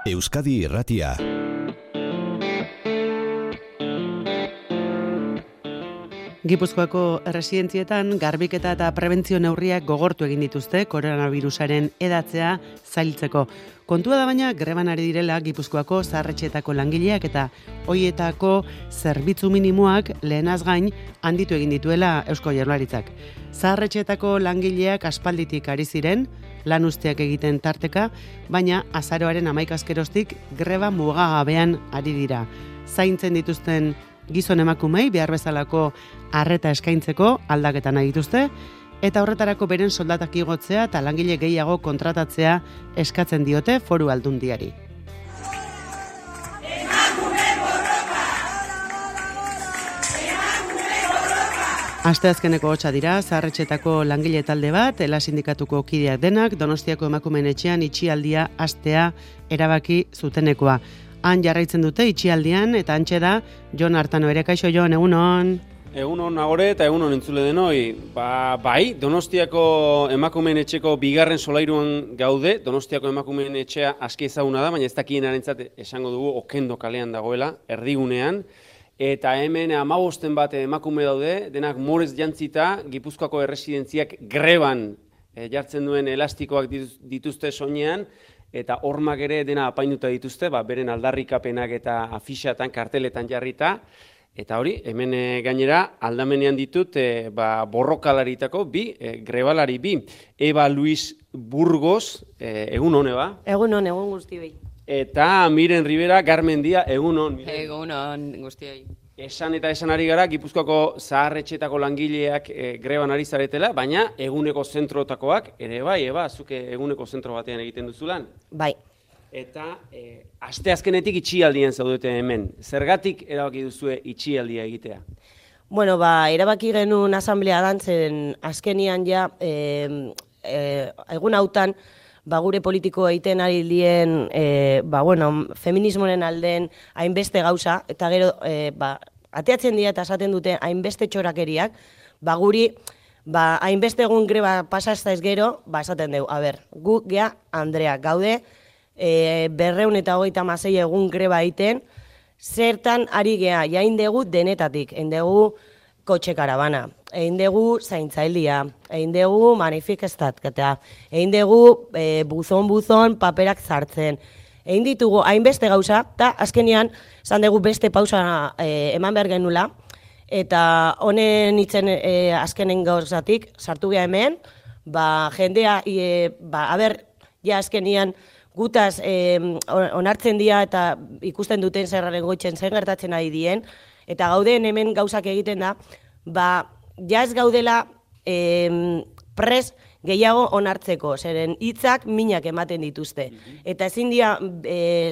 Euskadi Irratia. Gipuzkoako erresidentzietan garbiketa eta prebentzio neurriak gogortu egin dituzte koronavirusaren edatzea zailtzeko. Kontua da baina greban ari direla Gipuzkoako zaharretxeetako langileak eta hoietako zerbitzu minimoak lehenaz gain handitu egin dituela Eusko Jaurlaritzak. Zaharretxeetako langileak aspalditik ari ziren, lan usteak egiten tarteka, baina azaroaren 11 askeroztik greba mugagabean ari dira. Zaintzen dituzten gizon emakumei behar bezalako arreta eskaintzeko aldaketa nahi dituzte, eta horretarako beren soldatak igotzea eta langile gehiago kontratatzea eskatzen diote Foru Aldundiari. Asteazkeneko hotsa dira, zaharretxetako langile talde bat, Ela sindikatuko kideak denak, Donostiako emakumeen etxean itxialdia hastea erabaki zutenekoa. Han jarraitzen dute itxialdian eta hantxe da Jon Artano ere. Kaixo Jon, egunon. Egunon agore eta egunon entzule denoi. Bai, Donostiako emakumeen etxeko bigarren solairuan gaude. Donostiako emakumeen etxea aski ezaguna da, baina ez dakienarentzat esango dugu Okendo kalean dagoela, erdigunean. Eta hemen 15 bat emakume daude, denak morez jantzita, Gipuzkoako erresidentziak greban jartzen duen elastikoak dituzte soinean, eta hormak ere dena apainuta dituzte, beren aldarrikapenak eta afixatan, karteletan jarrita. Eta hori, hemen gainera aldamenean ditut borrokalaritako grebalari bi. Eba Luis Burgos, egunon, Eba? Egunon, egun guztioi. Eta Miren Rivera Garmendia, egunon. Egunon guztioi. Esan eta esan ari gara, Gipuzkoako zaharretxetako langileak greban ari zaretela, baina eguneko zentrotakoak, ere bai, Eba, zuke eguneko zentro batean egiten duzulan. Bai. Eta asteazkenetik itxialdian zaudete hemen. Zergatik erabaki duzue itxialdia egitea? Bueno, erabaki genuen asamblea dantzen azkenian ja, egun hautan, gure politiko egiten ari dien, feminismoren alden hainbeste gauza, eta gero, ateatzen dira eta esaten dute hainbeste txorakeriak, guri, hainbeste egun greba pasazta ez gero, esaten dugu, gu gea Andrea gaude, 226 egun greba egiten, zertan ari gea, jain dugu denetatik, egin dugu kotxe karabana, egin dugu zaintzailia, egin dugu manifestatzea, egin dugu buzon paperak zartzen, egin ditugu hainbeste gauza, eta azkenean, zan dugu beste pausa eman behar genula, eta honen itzen azkenen gauzatik, sartu geha hemen, jendea, ja azkenean, gutaz onartzen dira eta ikusten duten zerraren goitzen zen gertatzen ari dien, eta gauden hemen gauzak egiten da, ja ez gaudela pres gehiago onartzeko, zeren hitzak minak ematen dituzte. Eta ezin dira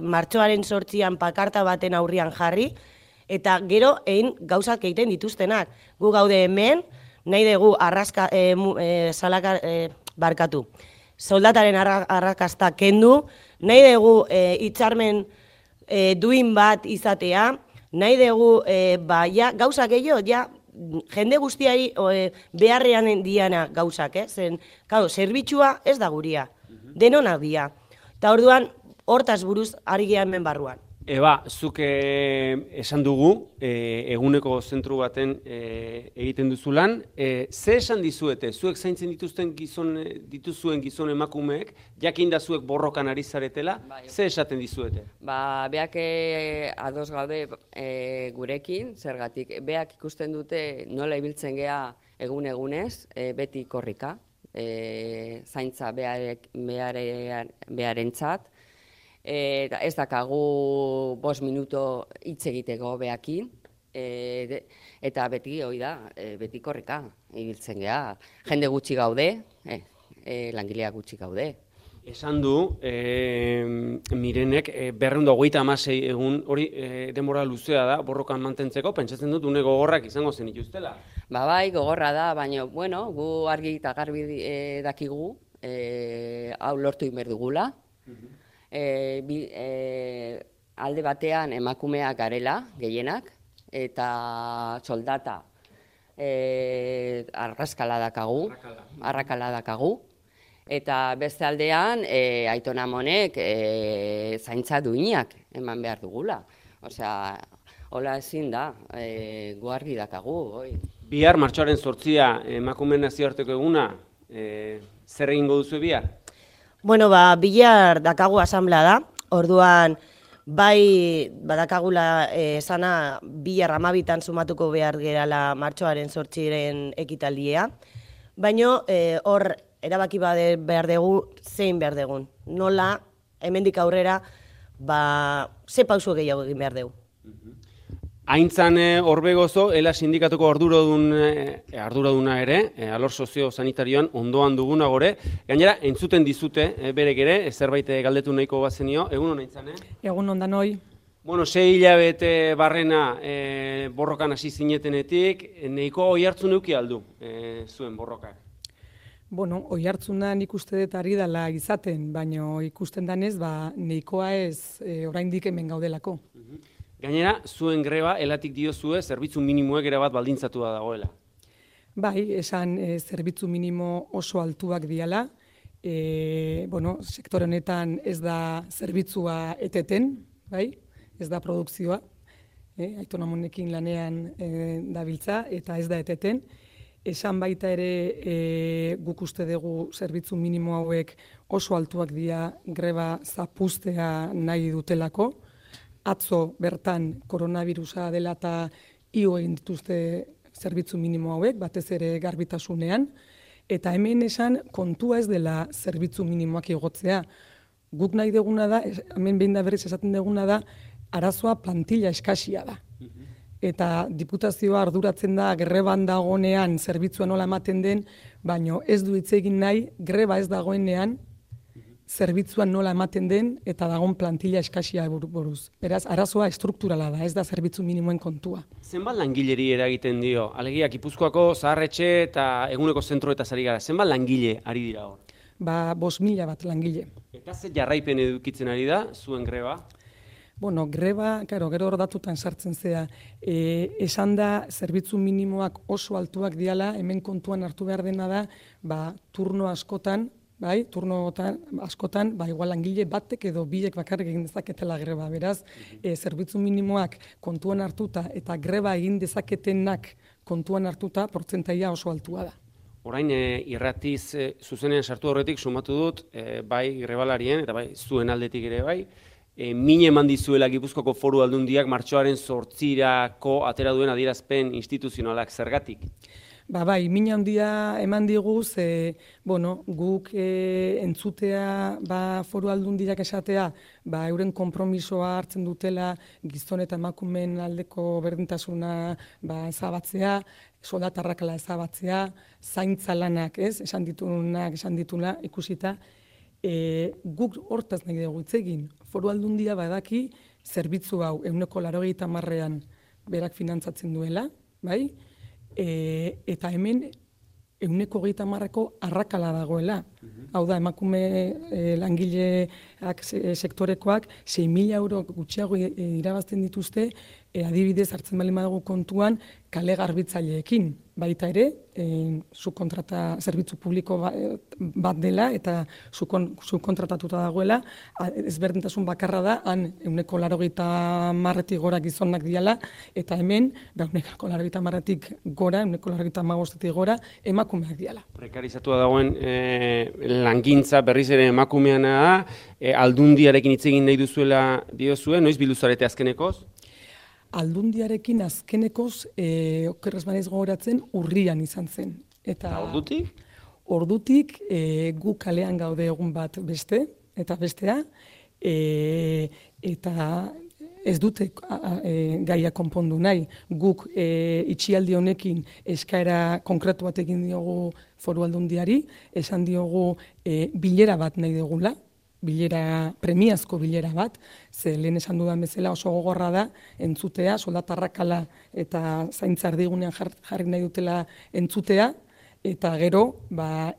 martxoaren 8an pakarta baten aurrian jarri, eta gero egin gauzak egiten dituztenak. Gu gaude hemen, nahi dugu barkatu. Soldataren arrakasta kendu, nahi dugu hitzarmen duin bat izatea, nahi dugu gauza gehiago, jende guztiari beharrean diana gauzak, zen, zerbitzua ez da guria, denonak dira. Eta orduan, hortaz buruz ari gehan hemen barruan. Eba, zuk esan dugu, eguneko zentru baten egiten duzulan, ze esan dizuete, zuek zaintzen dituzuen gizon emakumeek, jakin da zuek borrokan ari zaretela, ze esaten dizuete? Beak ados gaude gurekin, zergatik, beak ikusten dute nola ibiltzen gea egun-egunez, beti korrika, zaintza beharentzat, ez dakagu 5 minuto hitz egiteko beakin, eta beti hori da, beti korrika ibiltzen gea. Jende gutxi gaude, langileak gutxi gaude. Esan du, Mirenek, 226 egun, hori denbora luzea da, borrokan mantentzeko, pentsatzen dut, une gogorrak izango zen ituztela. Bai, gogorra da, baina, gu argi eta garbi dakigu, hau lortu inber dugula. Alde batean emakumeak garela, gehienak, eta soldata arrakala dakagu, Eta beste aldean, Aiton Amonek zaintza duinak eman behar dugula. Osea, hola ezin da, gu argi dakagu, oi. Bihar, martxoaren 8 emakumeen nazioarteko eguna, zer egingo duzu bihar? Bueno, bihar dakagu asamblea da, orduan bai badakagula esana bihar 12 sumatuko behar gerala martxoaren 8 ekitaldia, baina hor erabaki behar dugu zein behar dugun. Nola, hemendik aurrera, ze pauso gehiago egin behar dugu. Aintzan Orbegozo, ela sindikatuko arduraduna ere, alor sozio-sanitarioan ondoan duguna gore. Gainera, entzuten dizute berek ere, zerbait galdetu nahiko bazenio. Egun hona Aintzan, Egun ondan hoi. Bueno, 6 hilabete barrena borrokan hasi zinetenetik, nahiko oi hartzun neuki aldu zuen borrokak. Bueno, oi hartzuna nik uste dut ari dela izaten, baina ikusten danez, nahikoa ez oraindik hemen gaudelako. Gainera, zuen greba, elatik diozue, zerbitzu minimoek erabat baldintzatu da dagoela. Bai, esan zerbitzu minimo oso altuak diala. Bueno, sektore honetan ez da zerbitzua eteten, bai? Ez da produkzioa. Aiton Amonekin lanean dabiltza eta ez da eteten. Esan baita ere guk uste dugu zerbitzu minimo hauek oso altuak dira greba zapustea nahi dutelako. Atzo bertan koronavirusa dela eta igo egin dituzte zerbitzu minimo hauek, batez ere garbitasunean, eta hemen esan kontua ez dela zerbitzu minimoak igotzea. Guk nahi duguna da, hemen behin da berriz esaten duguna da, arazoa plantilla eskasia da. Eta diputazioa arduratzen da greban dagoenean zerbitzua nola ematen den, baina ez du hitz egin nahi greba ez dagoenean zerbitzuan nola ematen den eta dagoen plantilla eskasia buruz. Beraz, arazoa estrukturala da, ez da zerbitzu minimoen kontua. Zenbat langileri eragiten dio? Alegia, Gipuzkoako zaharretxe eta eguneko zentroetaz ari gara. Zenbat langile ari dira hor? 5.000 bat langile. Eta ze jarraipen edukitzen ari da, zuen greba? Bueno, greba, gero hor datutan sartzen zea, esan da zerbitzu minimoak oso altuak diala, hemen kontuan hartu behar dena da, turno askotan, bai, turnotan askotan, igual langile batek edo biek bakarrik egin dezaketela greba. Beraz, zerbitzu minimoak kontuan hartuta eta greba egin dezaketenak kontuan hartuta, portzentaia oso altua da. Orain, irratiz zuzenean sartu horretik sumatu dut, bai grebalarien eta bai zuen aldetik ere bai, min eman dizuela Gipuzkoako Foru Aldundiak martxoaren 8 atera duen adierazpen instituzionalak zergatik? Bai, min handia eman diguz, guk entzutea Foru Aldundiak esatea, euren konpromisoa hartzen dutela gizon eta emakumeen aldeko berdintasuna ezabatzea, soldatarrakala ezabatzea, zaintza lanak, esan dituna ikusita, guk hortaz nahi dugu hitz egin. Foru Aldundia badaki zerbitzu hau 80%an berak finantzatzen duela, bai? Eta hemen 130%ko arrakala dagoela. Hau da, emakume langileak sektorekoak 6.000 euro gutxiago irabazten dituzte, adibidez hartzen bali madugu kontuan kale garbitzaileekin. Baita ere, zerbitzu publiko bat dela eta subkontratatuta dagoela, ezberdintasun bakarra da, han 180%tik gora gizonak diala, eta hemen 180%tik gora, 185%tik gora, emakumeak diala. Prekarizatua dagoen langintza berriz ere emakumeana da, aldundiarekin hitz egin nahi duzuela diozue, noiz bildu zarete azkenekoz? Aldundiarekin azkenekoz, okerrez banaiz gogoratzen, urrian izan zen. Eta ordutik? Ordutik gu kalean gaude egun bat beste, eta bestea, eta ez dute gaia konpondu nahi. Guk itxialdi honekin eskaera konkretu bat egin diogu Foru Aldundiari, esan diogu bilera bat nahi dugula, premiazko bilera bat, ze lehen esan dudan bezala oso gogorra da, entzutea, soldatarrakala eta zaintza erdigunean jarri nahi dutela entzutea, eta gero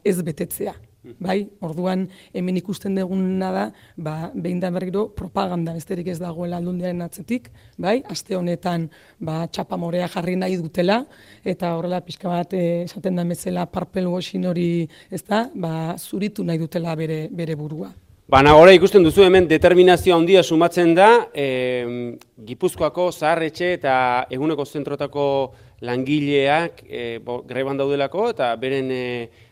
ez betetzea. Bai, orduan hemen ikusten duguna da, behin da berriro propaganda besterik ez dagoela Aldundiaren atzetik, bai, aste honetan txapamorea jarri nahi dutela, eta horrela pixka bat esaten da bezala purple washing hori, ezta, zuritu nahi dutela bere burua. Nagore ikusten duzu hemen determinazio handia sumatzen da, Gipuzkoako zaharretxe eta eguneko zentrotako langileak greban daudelako eta beren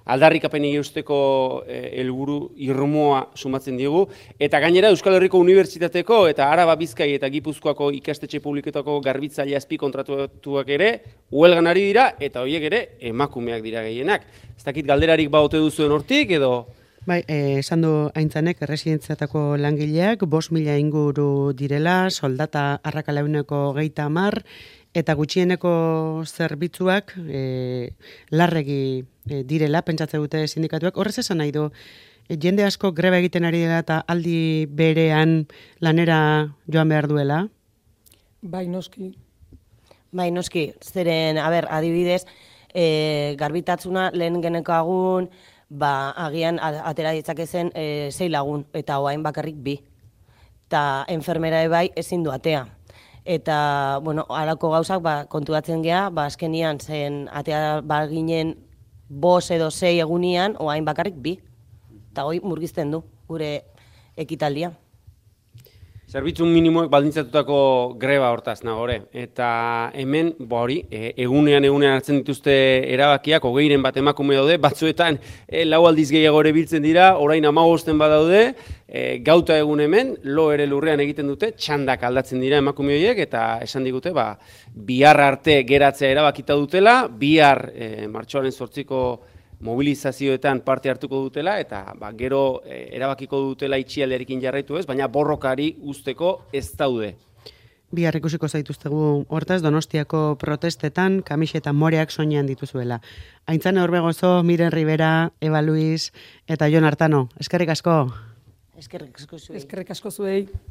aldarrikapenei eusteko helburu irmoa sumatzen diegu. Eta gainera Euskal Herriko Unibertsitateko eta Araba Bizkai eta Gipuzkoako ikastetxe publiketako garbitzaile azpi kontratuak ere huelgan ari dira eta horiek ere emakumeak dira gehienak. Ez dakit galderarik baote duzuen hortik edo... Bai, esan du Aintzanek erresidentziatako langileak 5.000 inguru direla, soldata arrakalauneko 30, eta gutxieneko zerbitzuak larregi direla, pentsatzen dute sindikatuak. Horrez esan nahi du, jende asko greba egiten ari dela eta aldi berean lanera joan behar duela? Bai, noski. Bai, noski. Zeren, adibidez, garbitatzuna lehen genekagun, agian atera ditzakezen 6 lagun, eta oain bakarrik 2. Eta enfermera bai ezin du atea. Eta, halako gauzak konturatzen gea, azkenian zen atea ginen 5 edo 6 egunian, oain bakarrik 2. Eta hoi murgizten du, gure ekitaldia. Zerbitzu minimoek baldintzatutako greba hortaz, Nagore. Eta hemen, egunean hartzen dituzte erabakiak, 20 bat emakume daude, batzuetan 4 aldiz gehiago ere biltzen dira, orain 15 badaude, gauta egun hemen, lo ere lurrean egiten dute, txandak aldatzen dira emakume horiek, eta esan digute, bihar arte geratzea erabakita dutela, bihar martxoaren 8ko mobilizazioetan parte hartuko dutela, eta gero erabakiko dutela itxialdearekin jarraitu ez, baina borrokari usteko ez daude. Bihar ikusiko zaituztegu hortaz Donostiako protestetan kamiseta moreak soinean dituzuela. Aintzane Orbegozo, Miren Rivera, Eva Luis eta Jon Artano. Eskerrik asko. Eskerrik asko zuei. Eskerrik asko zuei.